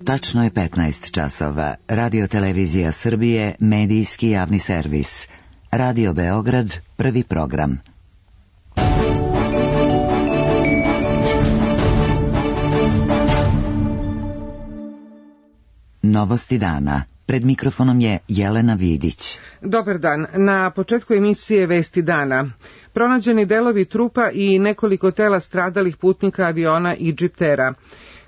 Tačno je 15 časova. Radio Televizija Srbije, medijski javni servis. Radio Beograd, prvi program. Novosti dana. Pred mikrofonom je Jelena Vidić. Dobar dan. Na početku emisije Vesti dana. Pronađeni delovi trupa i nekoliko tela stradalih putnika aviona Egyptera.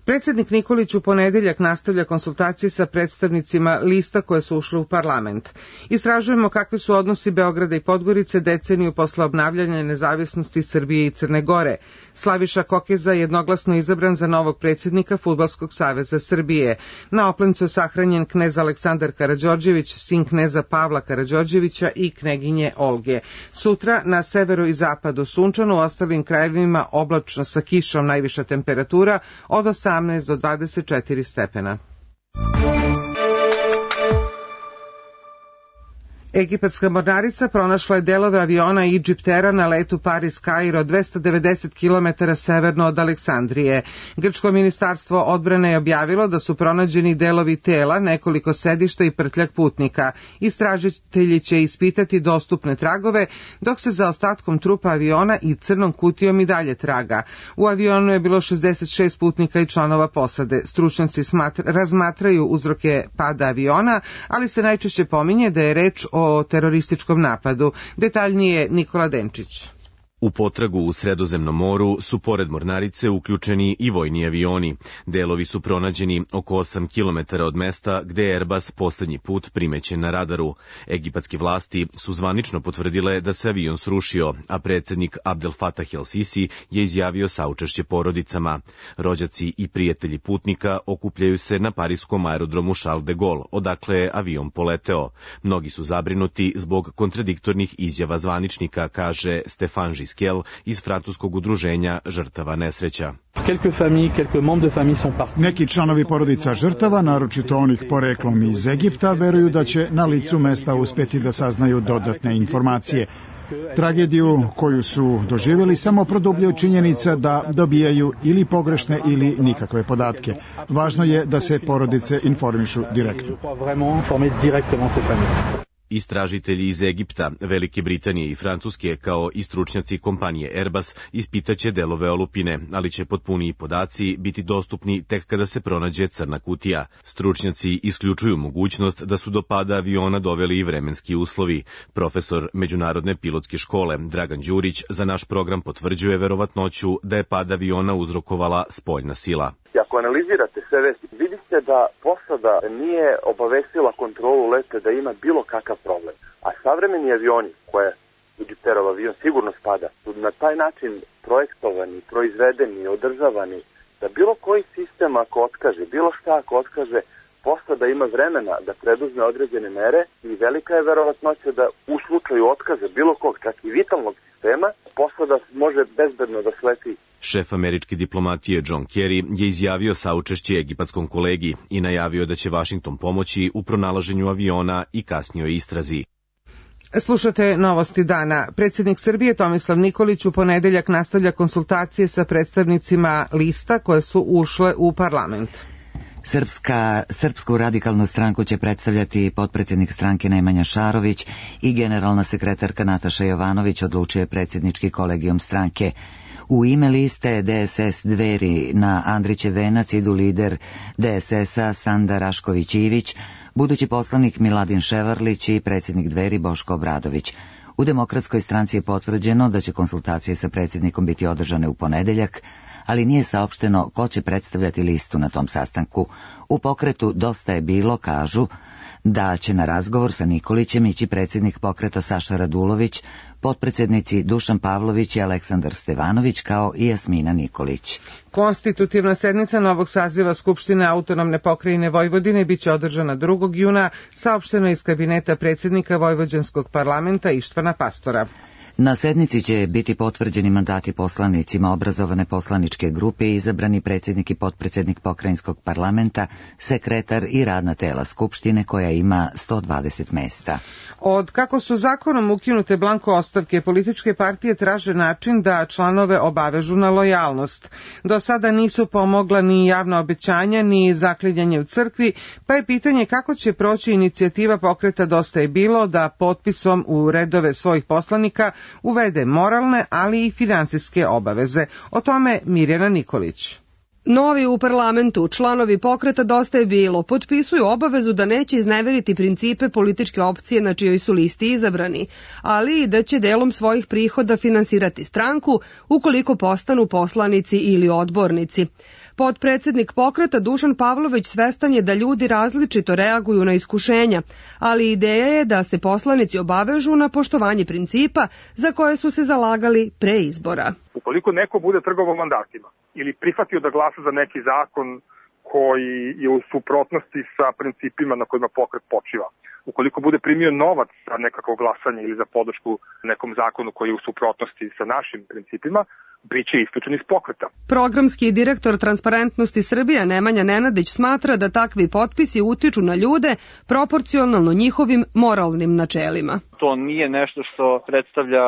Predsjednik Nikolić u ponedeljak nastavlja konsultacije sa predstavnicima lista koje su ušle u parlament. Istražujemo kakvi su odnosi Beograda i Podgorice deceniju posle obnavljanja nezavisnosti Srbije i Crne Gore. Slaviša Kokeza je jednoglasno izabran za novog predsjednika Fudbalskog saveza Srbije. Na Oplencu je sahranjen knez Aleksandar Karađorđević, sin kneza Pavla Karađorđevića i kneginje Olge. Sutra na severu i zapadu sunčano, u ostalim krajevima oblačno sa kišom, najviša temperatura od 18 do 24 stepena. Egipatska mornarica pronašla je delove aviona Egyptera na letu Paris-Kairo 290 km severno od Aleksandrije. Grčko ministarstvo odbrane je objavilo da su pronađeni delovi tela, nekoliko sedišta i prtljak putnika. Istražitelji će ispitati dostupne tragove, dok se za ostatkom trupa aviona i crnom kutijom i dalje traga. U avionu je bilo 66 putnika i članova posade. Stručnjaci razmatraju uzroke pada aviona, ali se najčešće pominje da je reč o terorističkom napadu. Detaljnije Nikola Denčić. U potragu u Sredozemnom moru su pored mornarice uključeni i vojni avioni. Delovi su pronađeni oko 8 km od mesta gde je Airbus poslednji put primećen na radaru. Egipatske vlasti su zvanično potvrdile da se avion srušio, a predsjednik Abdel Fattah el-Sisi je izjavio saučešće porodicama. Rođaci i prijatelji putnika okupljaju se na pariskom aerodromu Charles de Gaulle, odakle je avion poleteo. Mnogi su zabrinuti zbog kontradiktornih izjava zvaničnika, kaže Stefan Giskel iz francuskog udruženja žrtava nesreća. Neki članovi porodica žrtava, naročito onih poreklom iz Egipta, veruju da će na licu mesta uspjeti da saznaju dodatne informacije. Tragediju koju su doživjeli samo produbljuje činjenica da dobijaju ili pogrešne ili nikakve podatke. Važno je da se porodice informišu direktno. Istražitelji iz Egipta, Velike Britanije i Francuske, kao i stručnjaci kompanije Airbus, ispitaće delove olupine, ali će potpuniji podaci biti dostupni tek kada se pronađe crna kutija. Stručnjaci isključuju mogućnost da su do pada aviona doveli i vremenski uslovi. Profesor Međunarodne pilotske škole Dragan Đurić za naš program potvrđuje verovatnoću da je pad aviona uzrokovala spoljna sila. Ako analizirate sve vesti, vidite da posada nije obavestila kontrolu leta da ima bilo kakav problem. A savremeni avioni, koje Egypterov avion sigurno spada, su na taj način projektovani, proizvedeni, održavani, da bilo koji sistem ako otkaže, bilo šta ako otkaže, posada ima vremena da preduzme određene mere i velika je verovatnoća da u slučaju otkaza bilo kog, čak i vitalnog sistema, posada može bezbedno da sleti. Šef američke diplomatije John Kerry je izjavio saučešće egipatskom kolegi i najavio da će Vašington pomoći u pronalaženju aviona i kasnijoj istrazi. Slušate Novosti dana. Predsjednik Srbije Tomislav Nikolić u ponedeljak nastavlja konsultacije sa predstavnicima lista koje su ušle u parlament. Srpsku radikalnu stranku će predstavljati potpredsjednik stranke Nemanja Šarović i generalna sekretarka Nataša Jovanović, odlučuje predsjednički kolegijum stranke. U ime liste DSS Dveri na Andrićev venac idu lider DSS-a Sanda Rašković-Ivić, budući poslanik Miladin Ševarlić i predsjednik Dveri Boško Obradović. U Demokratskoj stranci je potvrđeno da će konsultacije sa predsjednikom biti održane u ponedeljak, ali nije saopšteno ko će predstavljati listu na tom sastanku. U pokretu Dosta je bilo kažu da će na razgovor sa Nikolićem ići predsjednik pokreta Saša Radulović, potpredsjednici Dušan Pavlović i Aleksandar Stevanović, kao i Jasmina Nikolić. Konstitutivna sednica novog saziva Skupštine Autonomne pokrajine Vojvodine biće održana 2. juna, saopšteno iz kabineta predsjednika Vojvođanskog parlamenta Ištvana Pastora. Na sednici će biti potvrđeni mandati poslanicima obrazovane poslaničke grupe i izabrani predsjednik i potpredsjednik pokrajinskog parlamenta, sekretar i radna tela Skupštine koja ima 120 mesta. Od kako su zakonom ukinute blanko ostavke, političke partije traže način da članove obavežu na lojalnost. Do sada nisu pomogla ni javna obećanja, ni zaklinjanje u crkvi, pa je pitanje kako će proći inicijativa pokreta Dosta je bilo da potpisom u redove svojih poslanika uvede moralne, ali i finansijske obaveze. O tome Mirjana Nikolić. Novi u parlamentu članovi pokreta Dosta je bilo potpisuju obavezu da neće izneveriti principe političke opcije na čijoj su listi izabrani, ali i da će delom svojih prihoda finansirati stranku ukoliko postanu poslanici ili odbornici. Potpredsednik pokreta Dušan Pavlović svestan je da ljudi različito reaguju na iskušenja, ali ideja je da se poslanici obavežu na poštovanje principa za koje su se zalagali pre izbora. Ukoliko neko bude trgovao mandatima ili prihvatio da glasa za neki zakon koji je u suprotnosti sa principima na kojima pokret počiva, ukoliko bude primio novac za nekako glasanje ili za podršku nekom zakonu koji je u suprotnosti sa našim principima, biće isključen iz pokreta. Programski direktor Transparentnosti Srbije Nemanja Nenadić smatra da takvi potpisi utiču na ljude proporcionalno njihovim moralnim načelima. To nije nešto što predstavlja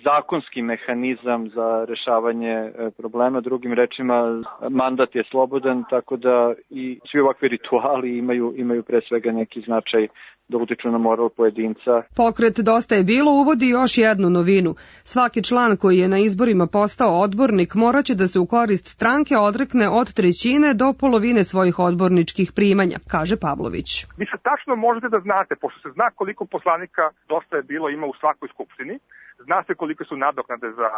zakonski mehanizam za rešavanje problema. Drugim rečima, mandat je slobodan, tako da i svi ovakvi rituali imaju pre svega neki značaj da utiču na moral pojedinca. Pokret Dosta je bilo uvodi još jednu novinu. Svaki član koji je na izborima postao odbornik moraće da se u korist stranke odrekne od 1/3 do polovine svojih odborničkih primanja, kaže Pavlović. Vi se tačno možete da znate, pošto se zna koliko poslanika Dosta je bilo ima u svakoj skupštini, zna se koliko su nadoknade za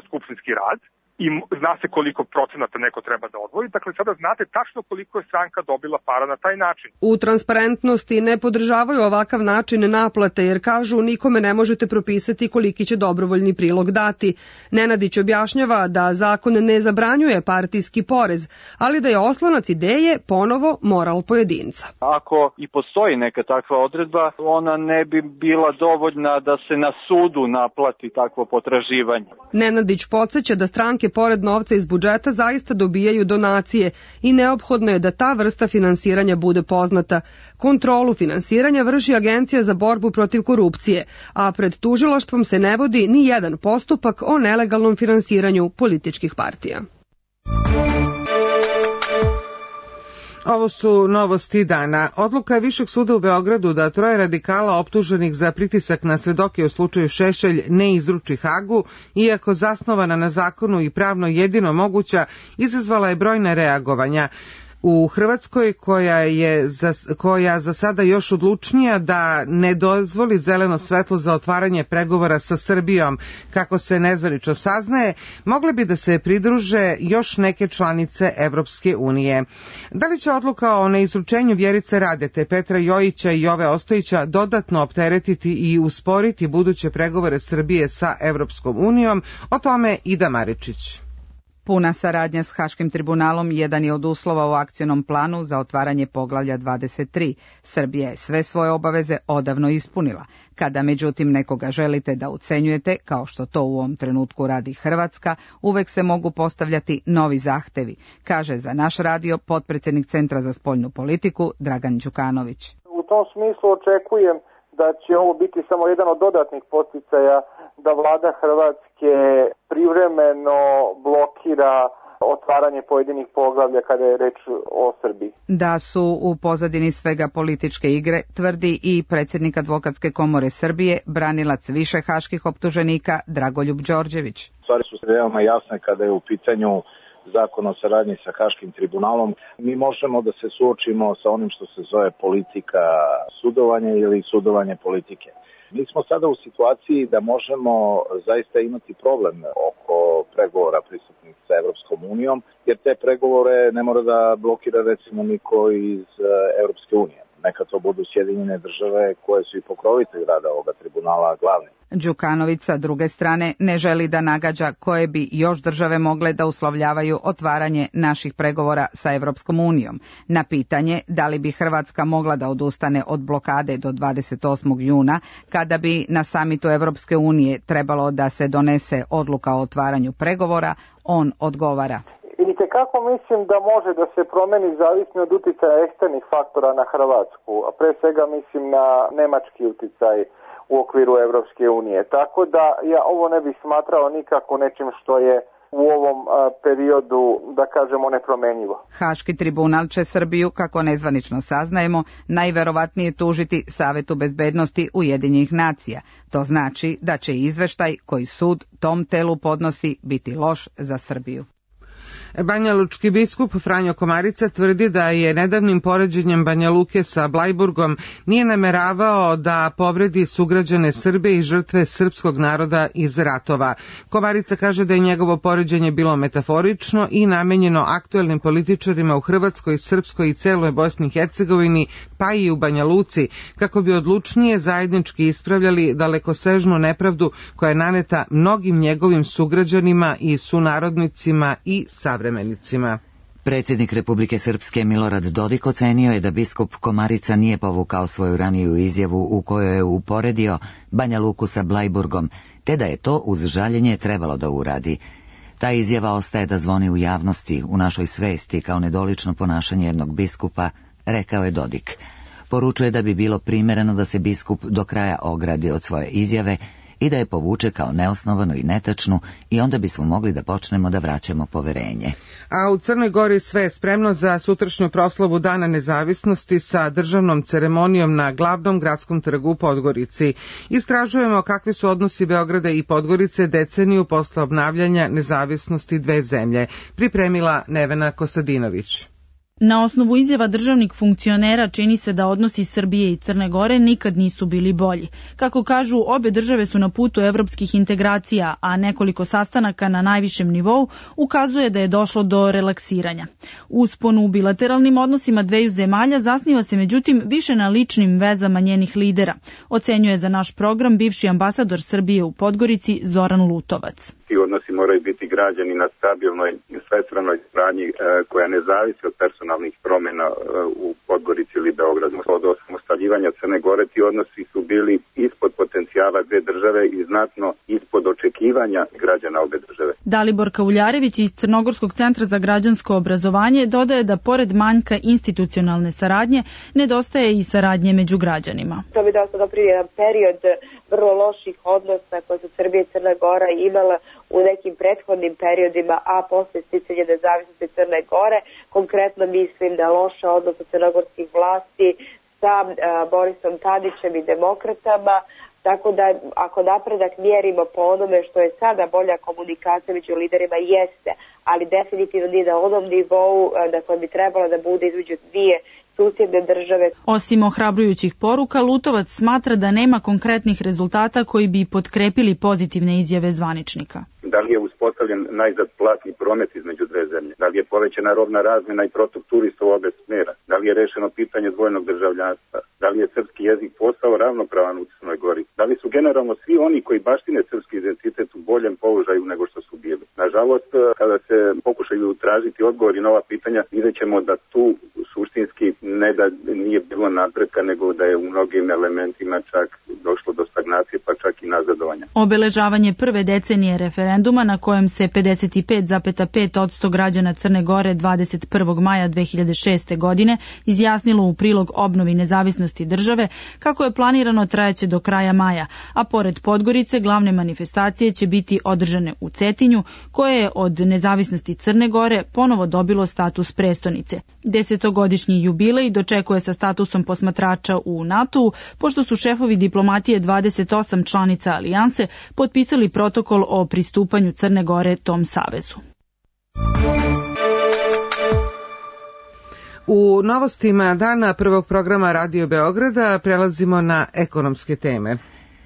skupštinski rad, i zna se koliko procenata neko treba da odvoji, dakle sada znate tačno koliko je stranka dobila para na taj način. U Transparentnosti ne podržavaju ovakav način naplate jer kažu nikome ne možete propisati koliki će dobrovoljni prilog dati. Nenadić objašnjava da zakon ne zabranjuje partijski porez, ali da je oslonac ideje ponovo moral pojedinca. Ako i postoji neka takva odredba, ona ne bi bila dovoljna da se na sudu naplati takvo potraživanje. Nenadić podsjeća da stranke pored novca iz budžeta zaista dobijaju donacije i neophodno je da ta vrsta finansiranja bude poznata. Kontrolu finansiranja vrši Agencija za borbu protiv korupcije, a pred tužilaštvom se ne vodi ni jedan postupak o nelegalnom finansiranju političkih partija. Ovo su novosti dana. Odluka Višeg suda u Beogradu da 3 radikala optuženih za pritisak na svedoke u slučaju Šešelj ne izruči Hagu, iako zasnovana na zakonu i pravno jedino moguća, izazvala je brojna reagovanja. U Hrvatskoj, koja za sada još odlučnija da ne dozvoli zeleno svetlo za otvaranje pregovora sa Srbijom, kako se nezvanično saznaje, mogle bi da se pridruže još neke članice Evropske unije. Da li će odluka o neizručenju Vjerice Radete, Petra Jojića i Jove Ostojića dodatno opteretiti i usporiti buduće pregovore Srbije sa Evropskom unijom? O tome Ida Maričić. Puna saradnja s Haškim tribunalom jedan je od uslova u akcionom planu za otvaranje poglavlja 23. Srbija je sve svoje obaveze odavno ispunila. Kada međutim nekoga želite da ucenjujete, kao što to u ovom trenutku radi Hrvatska, uvek se mogu postavljati novi zahtevi, kaže za naš radio potpredsjednik Centra za spoljnu politiku Dragan Đukanović. U tom smislu očekujem da će ovo biti samo jedan od dodatnih podsticaja da vlada Hrvatske privremeno blokira otvaranje pojedinih poglavlja kada je reč o Srbiji. Da su u pozadini svega političke igre, tvrdi i predsjednik Advokatske komore Srbije, branilac više haških optuženika Dragoljub Đorđević. Stvari su veoma jasne kada je u pitanju zakon o saradnji sa Haškim tribunalom. Mi možemo da se suočimo sa onim što se zove politika sudovanja ili sudovanje politike. Mi smo sada u situaciji da možemo zaista imati problem oko pregovora pristupnih sa Evropskom unijom, jer te pregovore ne mora da blokira recimo niko iz Evropske unije. neka to budu Sjedinjene države koje su i pokrovitelji rada ovoga tribunala glavni. Đukanović sa druge strane ne želi da nagađa koje bi još države mogle da uslovljavaju otvaranje naših pregovora sa Evropskom unijom. Na pitanje da li bi Hrvatska mogla da odustane od blokade do 28. juna, kada bi na samitu Evropske unije trebalo da se donese odluka o otvaranju pregovora, on odgovara. Vidite kako mislim da može da se promeni zavisno od uticaja eksternih faktora na Hrvatsku, a pre svega mislim na nemački uticaj u okviru Evropske unije. Tako da ja ovo ne bih smatrao nikako nečim što je u ovom periodu, da kažemo, nepromenjivo. Haški tribunal će Srbiju, kako nezvanično saznajemo, najverovatnije tužiti Savetu bezbednosti Ujedinjenih nacija. To znači da će izveštaj koji sud tom telu podnosi biti loš za Srbiju. Banjalučki biskup Franjo Komarica tvrdi da je nedavnim poređenjem Banja Luke sa Blajburgom nije nameravao da povredi sugrađane Srbe i žrtve srpskog naroda iz ratova. Komarica kaže da je njegovo poređenje bilo metaforično i namenjeno aktuelnim političarima u Hrvatskoj, Srpskoj i celoj Bosni i Hercegovini, pa i u Banja Luci, kako bi odlučnije zajednički ispravljali dalekosežnu nepravdu koja je naneta mnogim njegovim sugrađanima i sunarodnicima i savremenicima. Predsjednik Republike Srpske Milorad Dodik ocenio je da biskup Komarica nije povukao svoju raniju izjavu u kojoj je uporedio Banja Luku sa Blajburgom, te da je to uz žaljenje trebalo da uradi. Ta izjava ostaje da zvoni u javnosti, u našoj svesti, kao nedolično ponašanje jednog biskupa, rekao je Dodik. Poručuje da bi bilo primereno da se biskup do kraja ogradi od svoje izjave i da je povuče kao neosnovanu i netačnu, i onda bismo mogli da počnemo da vraćamo poverenje. A u Crnoj Gori sve je spremno za sutrašnju proslavu Dana nezavisnosti sa državnom ceremonijom na glavnom gradskom trgu u Podgorici. Istražujemo kakvi su odnosi Beograda i Podgorice deceniju posle obnavljanja nezavisnosti dve zemlje. Pripremila Nevena Kostadinović. Na osnovu izjava državnih funkcionera čini se da odnosi Srbije i Crne Gore nikad nisu bili bolji. Kako kažu, obe države su na putu evropskih integracija, a nekoliko sastanaka na najvišem nivou ukazuje da je došlo do relaksiranja. Uspon u bilateralnim odnosima dveju zemalja zasniva se međutim više na ličnim vezama njenih lidera, ocenjuje za naš program bivši ambasador Srbije u Podgorici Zoran Lutovac. Ti odnosi moraju biti građani na stabilnoj i svestranoj saradnji koja ne zavisi od personalnih promjena u Podgorici ili Beogradu. Od osamostaljivanja Crne Gore ti odnosi su bili ispod potencijala dve države i znatno ispod očekivanja građana obe države. Dalibor Kauljarević iz Crnogorskog centra za građansko obrazovanje dodaje da pored manjka institucionalne saradnje nedostaje i saradnje među građanima. To bi dosta dobro jedan period vrlo loših odnosa koje su Srbija i Crna Gora imala u nekim prethodnim periodima, a posle sticanja nezavisnosti Crne Gore. Konkretno mislim da loša odnosa crnogorskih vlasti sa Borisom Tadićem i demokratama, tako da ako napredak mjerimo po onome što je sada bolja komunikacija među liderima jeste, ali definitivno nije na onom nivou na kojem bi trebalo da bude između dvije susjedne države. Osim ohrabrujućih poruka, Lutovac smatra da nema konkretnih rezultata koji bi potkrepili pozitivne izjave zvaničnika. Da li je uspostavljen najzad platni promet između dve zemlje? Da li je povećana robna razmjena i protok turista u obe smjera? Da li je rešeno pitanje dvojnog državljanstva? Da li je srpski jezik postao ravnopravan u Crnoj Gori? Da li su generalno svi oni koji baštine srpski identitet u boljem položaju nego što su bili? Nažalost, kada se pokušaju tražiti odgovori na ova pitanja, vidjet ćemo da tu suštinski ne da nije bilo napretka, nego da je u mnogim elementima čak došlo do stagnacije, pa čak i nazadovanja. Obeležavanje prve decenije referenduma na kojem se 55,5% građana Crne Gore 21. maja 2006. godine izjasnilo u prilog obnovi nezavisnosti države, kako je planirano trajaće do kraja maja, a pored Podgorice glavne manifestacije će biti održane u Cetinju, koje je od nezavisnosti Crne Gore ponovo dobilo status prestonice. 10-godišnji jubilej dočekuje sa statusom posmatrača u NATO-u, pošto su šefovi diplomatije 28 članica alijanse potpisali protokol o pristupanju Crne Gore tom savezu. U novostima dana prvog programa Radio Beograda prelazimo na ekonomske teme.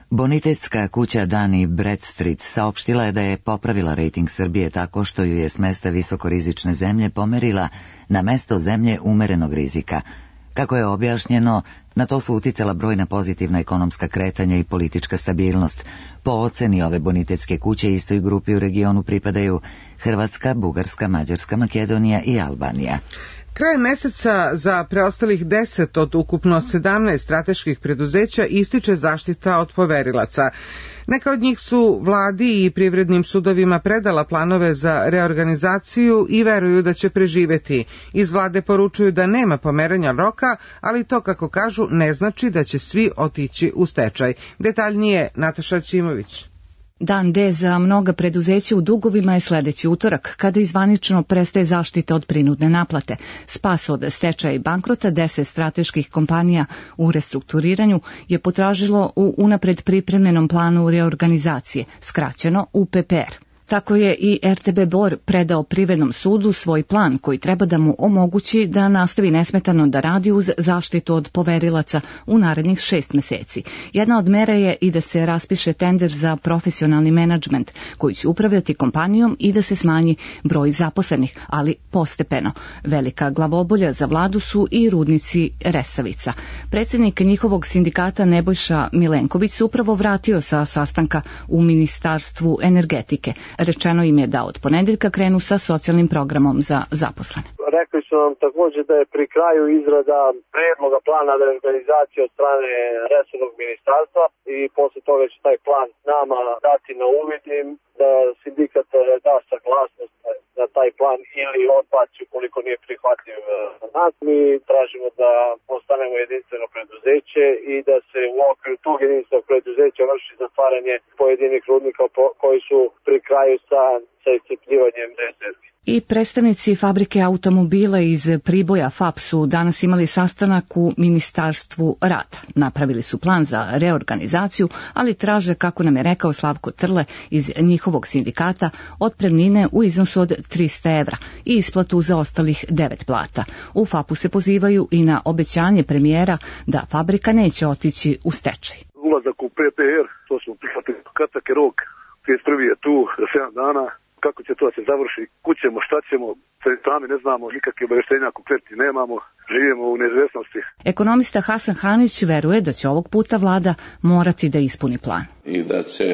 Bonitetska kuća Dani Bradstreet saopštila je da je popravila rejting Srbije tako što ju je s mesta visokorizične zemlje pomerila na mesto zemlje umerenog rizika. Kako je objašnjeno, na to su uticala brojna pozitivna ekonomska kretanja i politička stabilnost. Po oceni ove bonitetske kuće istoj grupi u regionu pripadaju Hrvatska, Bugarska, Mađarska, Makedonija i Albanija. Krajem meseca za preostalih 10 od ukupno 17 strateških preduzeća ističe zaštita od poverilaca. Neka od njih su vladi i privrednim sudovima predala planove za reorganizaciju i veruju da će preživeti. Iz vlade poručuju da nema pomeranja roka, ali to, kako kažu, ne znači da će svi otići u stečaj. Detaljnije Nataša Ćimović. Dan D za mnoga preduzeća u dugovima je sledeći utorak, kada izvanično prestaje zaštita od prinudne naplate. Spas od stečaja i bankrota 10 strateških kompanija u restrukturiranju je potražilo u unapred pripremljenom planu reorganizacije, skraćeno UPPR. Tako je i RTB Bor predao Privrednom sudu svoj plan koji treba da mu omogući da nastavi nesmetano da radi uz zaštitu od poverilaca u narednih 6 meseci. Jedna od mera je i da se raspiše tender za profesionalni menadžment koji će upravljati kompanijom i da se smanji broj zaposlenih, ali postepeno. Velika glavobolja za vladu su i rudnici Resavica. Predsjednik njihovog sindikata Nebojša Milenković se upravo vratio sa sastanka u Ministarstvu energetike. Rečeno im je da od ponedeljka krenu sa socijalnim programom za zaposlene. Rekli su nam također da je pri kraju izrada predloga plana reorganizacije od strane resornog ministarstva i posle toga će taj plan nama dati na uvid i da sindikat da saglasnost na taj plan ili odbaci ukoliko nije prihvatljiv za nas. Mi tražimo da postanemo jedinstveno preduzeće i da se u okviru tog jedinstvenog preduzeća vrši zatvaranje pojedinih rudnika koji su pri kraju sa iscrpljivanjem rezervi. I predstavnici fabrike automobila iz Priboja FAP su danas imali sastanak u Ministarstvu rada. Napravili su plan za reorganizaciju, ali traže, kako nam je rekao Slavko Trle iz njihovog sindikata, otpremnine u iznosu od 300 evra i isplatu za ostalih 9 plata. U FAP-u se pozivaju i na obećanje premijera da fabrika neće otići u stečaj. Ulazak u PPR, to smo prihvatili, kratak je rok, 31. je tu za 7 dana. Kako će to da se završi, kućemo, šta ćemo, sami ne znamo, nikakve obaveštenja konkretni nemamo, živimo u neizvesnosti. Ekonomista Hasan Hanić veruje da će ovog puta vlada morati da ispuni plan. I da će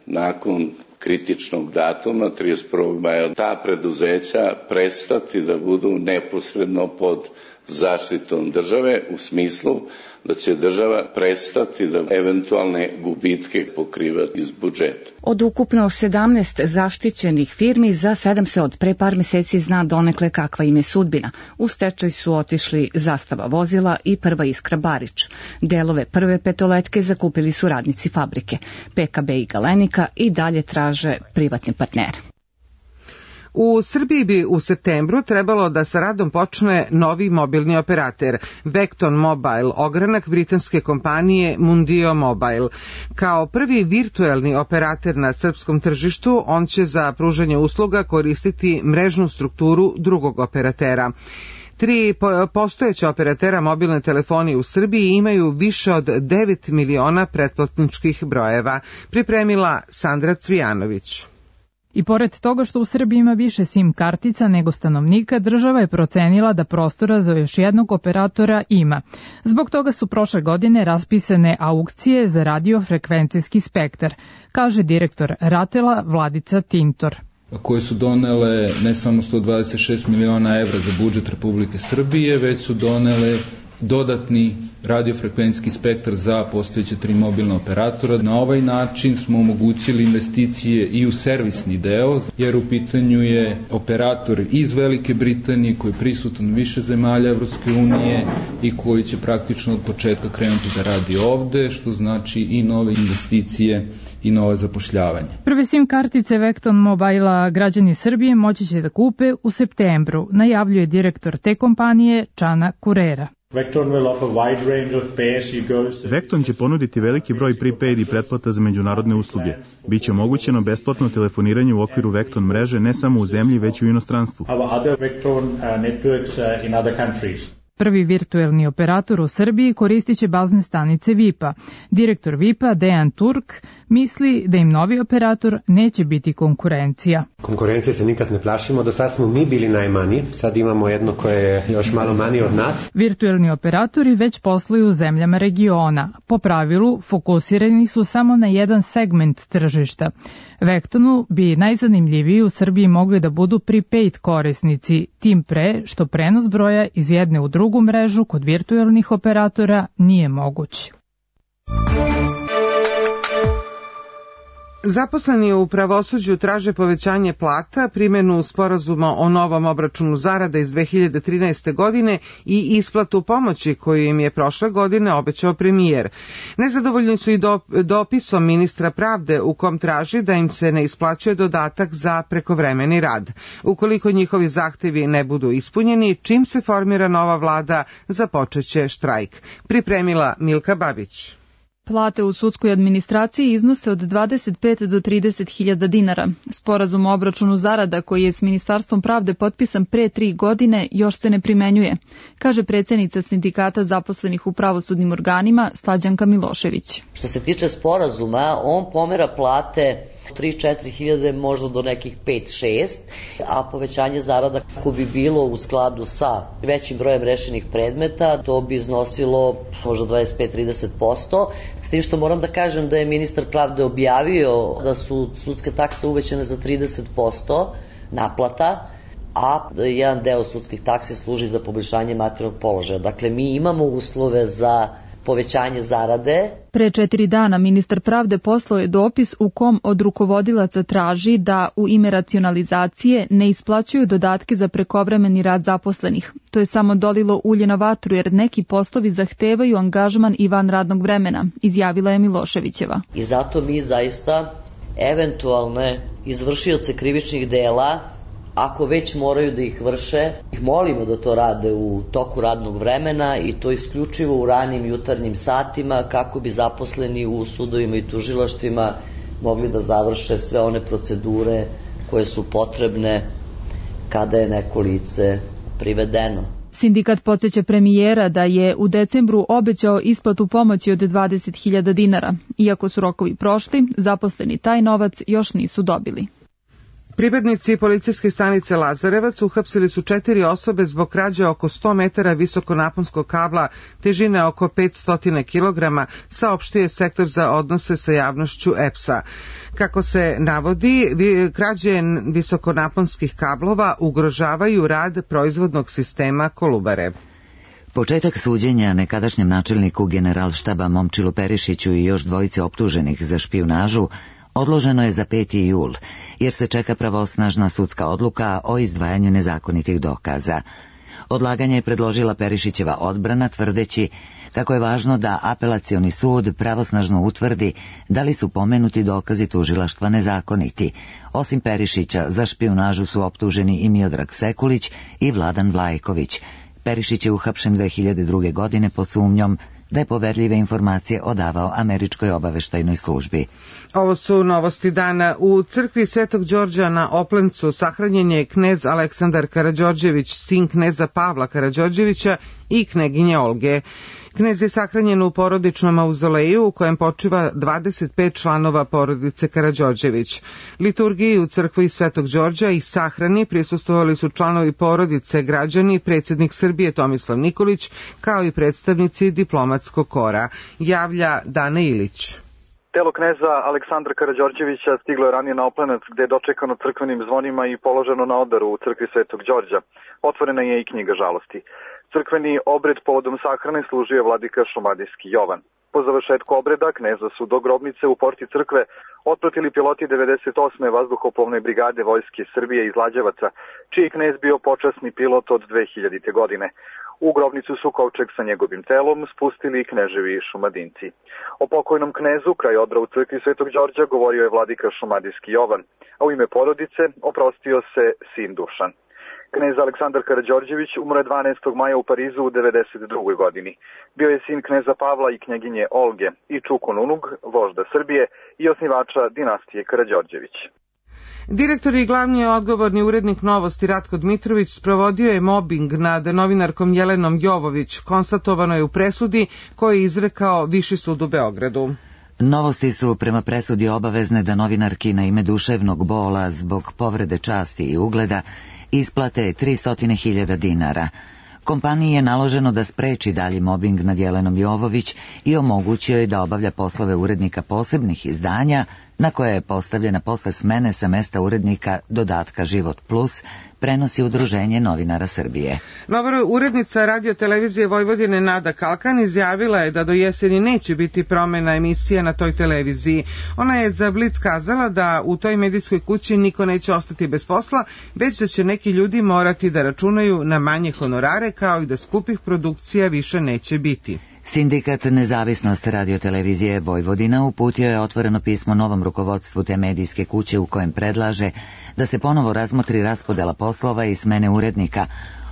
nakon kritičnog datuma 31. maja ta preduzeća prestati da budu neposredno pod zaštitom države u smislu da će država prestati da eventualne gubitke pokriva iz budžeta. Od ukupno 17 zaštićenih firmi za 7 se od pre par meseci zna donekle kakva im je sudbina. U stečaj su otišli Zastava vozila i Prva Iskra Barič. Delove Prve petoletke zakupili su radnici fabrike. PKB i Galenika i dalje traže privatne partnere. U Srbiji bi u septembru trebalo da sa radom počne novi mobilni operater, Vecton Mobile, ogranak britanske kompanije Mundio Mobile. Kao prvi virtuelni operater na srpskom tržištu, on će za pružanje usluga koristiti mrežnu strukturu drugog operatera. 3 postojeća operatera mobilne telefonije u Srbiji imaju više od 9 miliona pretplatničkih brojeva, pripremila Sandra Cvijanović. I pored toga što u Srbiji ima više SIM kartica nego stanovnika, država je procenila da prostora za još jednog operatora ima. Zbog toga su prošle godine raspisane aukcije za radiofrekvencijski spektar, kaže direktor RATEL-a Vladica Tintor. Koje su donele ne samo 126 miliona evra za budžet Republike Srbije, već su donele dodatni radiofrekvencijski spektar za postojeće 3 mobilna operatora. Na ovaj način smo omogućili investicije i u servisni deo, jer u pitanju je operator iz Velike Britanije koji je prisutan u više zemalja Evropske unije i koji će praktično od početka krenuti da radi ovde, što znači i nove investicije i nove zapošljavanje. Prve SIM kartice Vecton Mobile-a građani Srbije moći će da kupe u septembru, najavljuje direktor te kompanije Čana Kurera. Vecton će ponuditi veliki broj prepaid i pretplata za međunarodne usluge. Biće omogućeno besplatno telefoniranje u okviru Vecton mreže ne samo u zemlji, već i u inostranstvu. Prvi virtuelni operator u Srbiji koristit će bazne stanice VIP-a. Direktor VIP-a Dejan Turk misli da im novi operator neće biti konkurencija. Konkurencije se nikad ne plašimo, do sad smo mi bili najmanji, sad imamo jedno koje je još malo manji od nas. Virtuelni operatori već posluju u zemljama regiona. Po pravilu, fokusirani su samo na jedan segment tržišta. Vektonu bi najzanimljiviji u Srbiji mogli da budu prepaid korisnici, tim pre što prenos broja iz jedne u drugu mrežu kod virtuelnih operatora nije moguć. Zaposleni u pravosuđu traže povećanje plata, primjenu sporazuma o novom obračunu zarada iz 2013. godine i isplatu pomoći koju im je prošle godine obećao premijer. Nezadovoljni su i dopisom ministra pravde u kom traži da im se ne isplaćuje dodatak za prekovremeni rad. Ukoliko njihovi zahtevi ne budu ispunjeni, čim se formira nova vlada, započeće štrajk. Pripremila Milka Babić. Plate u sudskoj administraciji iznose od 25 do 30.000 dinara. Sporazum o obračunu zarada koji je s Ministarstvom pravde potpisan pre 3 godine još se ne primenjuje, kaže predsjednica sindikata zaposlenih u pravosudnim organima Slađanka Milošević. Što se tiče sporazuma, on pomera plate 3-4 hiljade, možda do nekih 5-6, a povećanje zarada ako bi bilo u skladu sa većim brojem rešenih predmeta, to bi iznosilo možda 25-30%, s tim što moram da kažem da je ministar pravde objavio da su sudske takse uvećane za 30% naplata, a jedan deo sudskih taksi služi za poboljšanje materijalnog položaja. Dakle, mi imamo uslove za povećanje zarade. Pre 4 dana ministar pravde poslao je dopis u kom od rukovodilaca traži da u ime racionalizacije ne isplaćuju dodatke za prekovremeni rad zaposlenih. To je samo dolilo ulje na vatru jer neki poslovi zahtevaju angažman i van radnog vremena, izjavila je Miloševićeva. I zato mi zaista eventualne izvršioce krivičnih dela, ako već moraju da ih vrše, ih molimo da to rade u toku radnog vremena i to isključivo u ranim jutarnjim satima kako bi zaposleni u sudovima i tužilaštvima mogli da završe sve one procedure koje su potrebne kada je neko lice privedeno. Sindikat podsjeća premijera da je u decembru obećao isplatu pomoći od 20.000 dinara. Iako su rokovi prošli, zaposleni taj novac još nisu dobili. Pripadnici policijske stanice Lazarevac uhapsili su 4 osobe zbog krađe oko 100 metara visokonaponskog kabla težine oko 500 kg, saopštio sektor za odnose sa javnošću EPS-a. Kako se navodi, krađe visokonaponskih kablova ugrožavaju rad proizvodnog sistema Kolubare. Početak suđenja nekadašnjem načelniku Generalštaba Momčilu Perišiću i još dvojice optuženih za špijunažu odloženo je za 5. jul, jer se čeka pravosnažna sudska odluka o izdvajanju nezakonitih dokaza. Odlaganje je predložila Perišićeva odbrana, tvrdeći kako je važno da apelacioni sud pravosnažno utvrdi da li su pomenuti dokazi tužilaštva nezakoniti. Osim Perišića, za špijunažu su optuženi i Miodrag Sekulić i Vladan Vlajković. Perišić je uhapšen 2002. godine pod sumnjom da je poverljive informacije odavao američkoj obaveštajnoj službi. Ovo su novosti dana. U crkvi Svetog Đorđa na Oplencu sahranjen je knez Aleksandar Karađorđević, sin kneza Pavla Karađorđevića i kneginje Olge. Knez je sahranjen u porodičnom mauzoleju u kojem počiva 25 članova porodice Karađorđević. Liturgiji u crkvi Svetog Đorđa i sahrani prisustvovali su članovi porodice, građani, predsjednik Srbije Tomislav Nikolić, kao i predstavnici diplomatskog kora, javlja Dana Ilić. Telo kneza Aleksandra Karađorđevića stiglo je ranije na Oplenac, gde je dočekano crkvenim zvonima i položeno na odaru u crkvi Svetog Đorđa. Otvorena je i knjiga žalosti. Crkveni obred povodom sahrane služio je vladika šumadijski Jovan. Po završetku obreda kneza su do grobnice u porti crkve otpratili piloti 98. vazduhoplovne brigade Vojske Srbije iz Lađevaca, čiji knez bio počasni pilot od 2000. godine. U grobnicu su kovčeg sa njegovim telom spustili i kneževi šumadinci. O pokojnom knezu kraj odra u crkvi Svetog Đorđa govorio je vladika šumadijski Jovan, a u ime porodice oprostio se sin Dušan. Knez Aleksandar Karađorđević umro je 12. maja u Parizu u 92. godini. Bio je sin kneza Pavla i knjeginje Olge i Čukun Unug, vožda Srbije i osnivača dinastije Karađorđević. Direktor i glavni odgovorni urednik Novosti Ratko Dmitrović sprovodio je mobing nad novinarkom Jelenom Jovović, konstatovano je u presudi koju je izrekao Viši sud u Beogradu. Novosti su prema presudi obavezne da novinarki na ime duševnog bola zbog povrede časti i ugleda isplate 300.000 dinara. Kompaniji je naloženo da spreči dalji mobing nad Jelenom Jovović i omogućio je da obavlja poslove urednika posebnih izdanja, na koje je postavljena posle smene sa mesta urednika dodatka Život Plus, prenosi Udruženje novinara Srbije. Nova urednica Radio televizije Vojvodine Nada Kalkan izjavila je da do jeseni neće biti promena emisija na toj televiziji. Ona je za Blic kazala da u toj medijskoj kući niko neće ostati bez posla, već da će neki ljudi morati da računaju na manje honorare, kao i da skupih produkcija više neće biti. Sindikat Nezavisnost radiotelevizije Vojvodina uputio je otvoreno pismo novom rukovodstvu te medijske kuće u kojem predlaže da se ponovo razmotri raspodela poslova i smene urednika,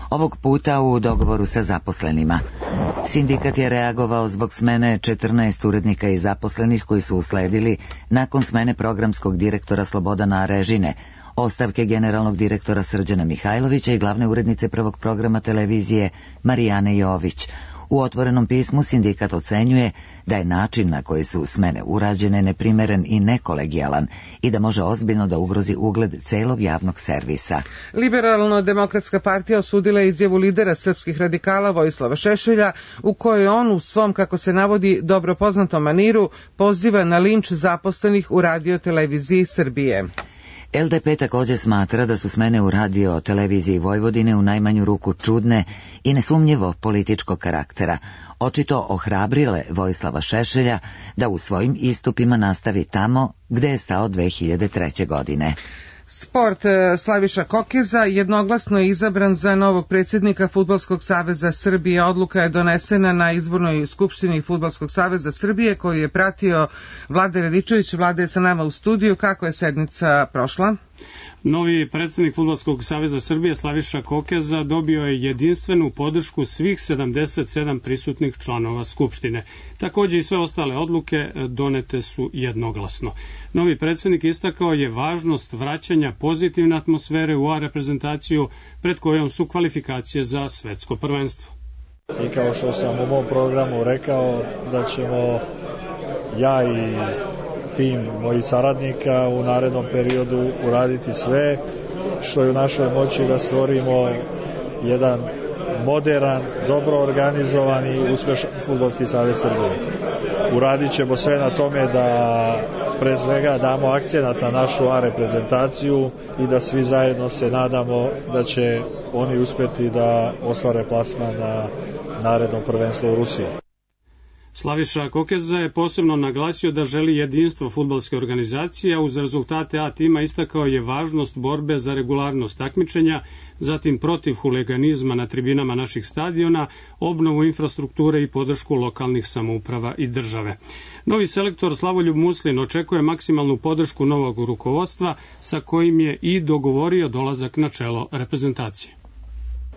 ovog puta u dogovoru sa zaposlenima. Sindikat je reagovao zbog smene 14 urednika i zaposlenih koji su usledili nakon smene programskog direktora Slobodana Arežine, ostavke generalnog direktora Srđana Mihajlovića i glavne urednice prvog programa televizije Marijane Jović. U otvorenom pismu sindikat ocenjuje da je način na koji su smene urađene neprimeren i nekolegijalan i da može ozbiljno da ugrozi ugled celog javnog servisa. Liberalno-demokratska partija osudila je izjavu lidera srpskih radikala Vojislava Šešelja, u kojoj on u svom, kako se navodi, dobro poznatom maniru poziva na linč zaposlenih u Radio televiziji Srbije. LDP također smatra da su smene u Radio televiziji Vojvodine u najmanju ruku čudne i nesumnjivo političkog karaktera, očito ohrabrile Vojislava Šešelja da u svojim istupima nastavi tamo gde je stao 2003. godine. Sport. Slaviša Kokeza jednoglasno je izabran za novog predsjednika Fudbalskog saveza Srbije. Odluka je donesena na izbornoj skupštini Fudbalskog saveza Srbije koju je pratio Vlada Radičević. Vlada je sa nama u studiju. Kako je sednica prošla? Novi predsjednik Fudbalskog saveza Srbije Slaviša Kokeza dobio je jedinstvenu podršku svih 77 prisutnih članova Skupštine. Također i sve ostale odluke donete su jednoglasno. Novi predsjednik istakao je važnost vraćanja pozitivne atmosfere u A reprezentaciju pred kojom su kvalifikacije za svetsko prvenstvo. I kao što sam u mom programu rekao da ćemo ja i tim mojih saradnika u narednom periodu uraditi sve što je u našoj moći da stvorimo jedan moderan, dobro organizovan i uspešan Fudbalski savez Srbije. Uradit ćemo sve na tome da pre svega damo akcenat na našu A reprezentaciju i da svi zajedno se nadamo da će oni uspeti da ostvare plasman na narednom prvenstvu u Rusiji. Slaviša Kokeza je posebno naglasio da želi jedinstvo fudbalske organizacije, a uz rezultate A tima istakao je važnost borbe za regularnost takmičenja, zatim protiv huliganizma na tribinama naših stadiona, obnovu infrastrukture i podršku lokalnih samouprava i države. Novi selektor Slavoljub Muslin očekuje maksimalnu podršku novog rukovodstva sa kojim je i dogovorio dolazak na čelo reprezentacije.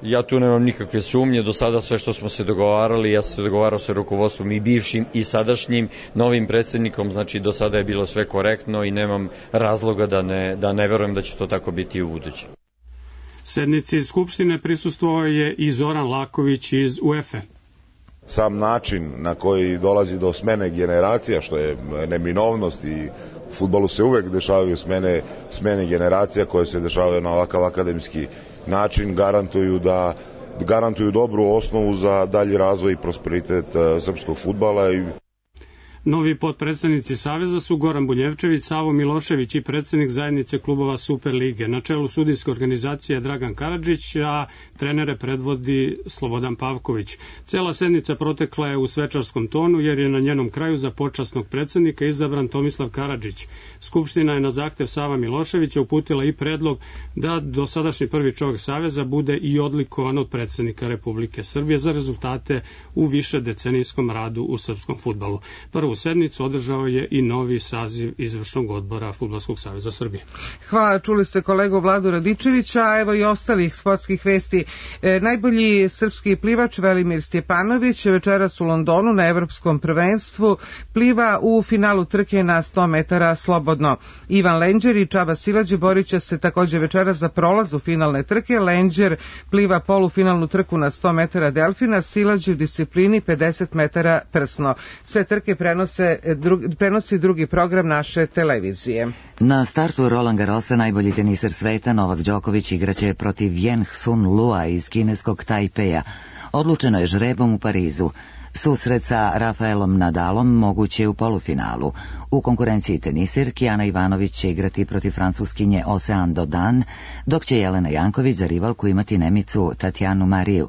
Ja tu nemam nikakve sumnje, do sada sve što smo se dogovarali, ja sam se dogovarao sa rukovodstvom i bivšim i sadašnjim novim predsjednikom, znači do sada je bilo sve korektno i nemam razloga da ne verujem da će to tako biti i u buduće. Sednici Skupštine prisustvovao je i Zoran Laković iz UEFA. Sam način na koji dolazi do smene generacija, što je neminovnost i u fudbalu se uvek dešavaju smene generacija koje se dešavaju na ovakav akademski način, garantuju dobru osnovu za dalji razvoj i prosperitet srpskog fudbala. Novi potpredsjednici Saveza su Goran Buljevčević, Savo Milošević i predsjednik zajednice klubova Superlige. Na čelu sudijske organizacije je Dragan Karadžić, a trenere predvodi Slobodan Pavković. Cela sednica protekla je u svečarskom tonu jer je na njenom kraju za počasnog predsjednika izabran Tomislav Karadžić. Skupština je na zahtev Sava Miloševića uputila i predlog da dosadašnji prvi čovjek Saveza bude i odlikovan od predsjednika Republike Srbije za rezultate u višedecenijskom radu u srpskom fudbalu. Prvu sednicu održao je i novi saziv izvršnog odbora Fudbalskog saveza Srbije. Hvala, čuli ste kolegu Vladu Radičevića, a evo i ostalih sportskih vesti. Najbolji srpski plivač Velimir Stjepanović večeras u Londonu na evropskom prvenstvu pliva u finalu trke na 100 metara slobodno. Ivan Lenđer i Čaba Silađe borit će se također večeras za prolaz u finalne trke. Lenđer pliva polufinalnu trku na 100 metara delfina, Silađe u disciplini 50 metara prsno. Sve trke prenosi prenosi drugi program naše televizije. Na startu Roland Garrosa najbolji teniser sveta Novak Đoković igraće protiv Yen Sun Lua iz kineskog Tajpeja. Odlučeno je žrebom u Parizu. Susret sa Rafaelom Nadalom moguće je u polufinalu. U konkurenciji tenisirki Ana Ivanović će igrati protiv francuskinje Ocean Dodan, dok će Jelena Janković za rivalku imati Nemicu Tatjanu Mariju.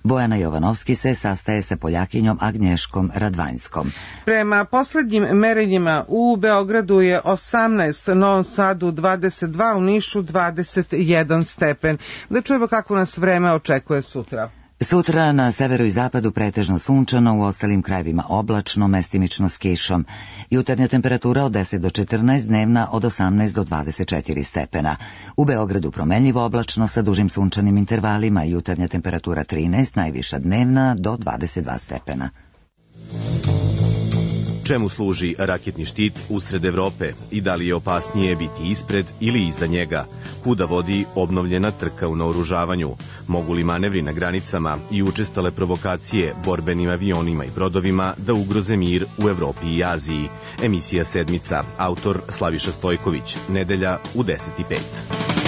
Bojana Jovanovski se sastaje sa Poljakinjom Agnješkom Radvanjskom. Prema poslednjim merenjima u Beogradu je 18, Novom Sadu 22, u Nišu 21 stepen. Da čujemo kako nas vreme očekuje sutra. Sutra na severu i zapadu pretežno sunčano, u ostalim krajevima oblačno, mestimično s kišom. Jutarnja temperatura od 10 do 14, dnevna od 18 do 24 stepena. U Beogradu promenljivo oblačno sa dužim sunčanim intervalima, jutarnja temperatura 13, najviša dnevna do 22 stepena. Čemu služi raketni štit usred Evrope i da li je opasnije biti ispred ili iza njega? Kuda vodi obnovljena trka u naoružavanju? Mogu li manevri na granicama i učestale provokacije borbenim avionima i brodovima da ugroze mir u Evropi i Aziji? Emisija Sedmica, autor Slaviša Stojković, nedelja u 10:05.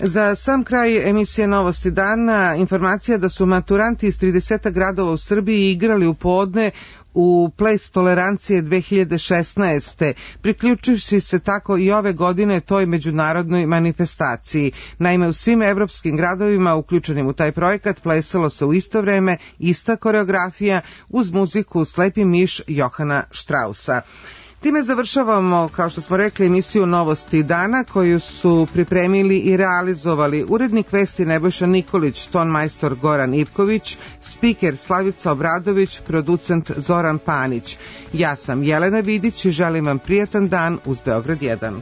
Za sam kraj emisije Novosti dana informacija da su maturanti iz 30 gradova u Srbiji igrali u podne u Ples tolerancije 2016. priključivši se tako i ove godine toj međunarodnoj manifestaciji. Naime, u svim evropskim gradovima uključenim u taj projekat plesalo se u isto vreme, ista koreografija uz muziku Slepi miš Johana Štrausa. Time završavamo, kao što smo rekli, emisiju Novosti dana koju su pripremili i realizovali urednik vesti Nebojša Nikolić, tonmajstor Goran Ivković, spiker Slavica Obradović, producent Zoran Panić. Ja sam Jelena Vidić i želim vam prijatan dan uz Beograd 1.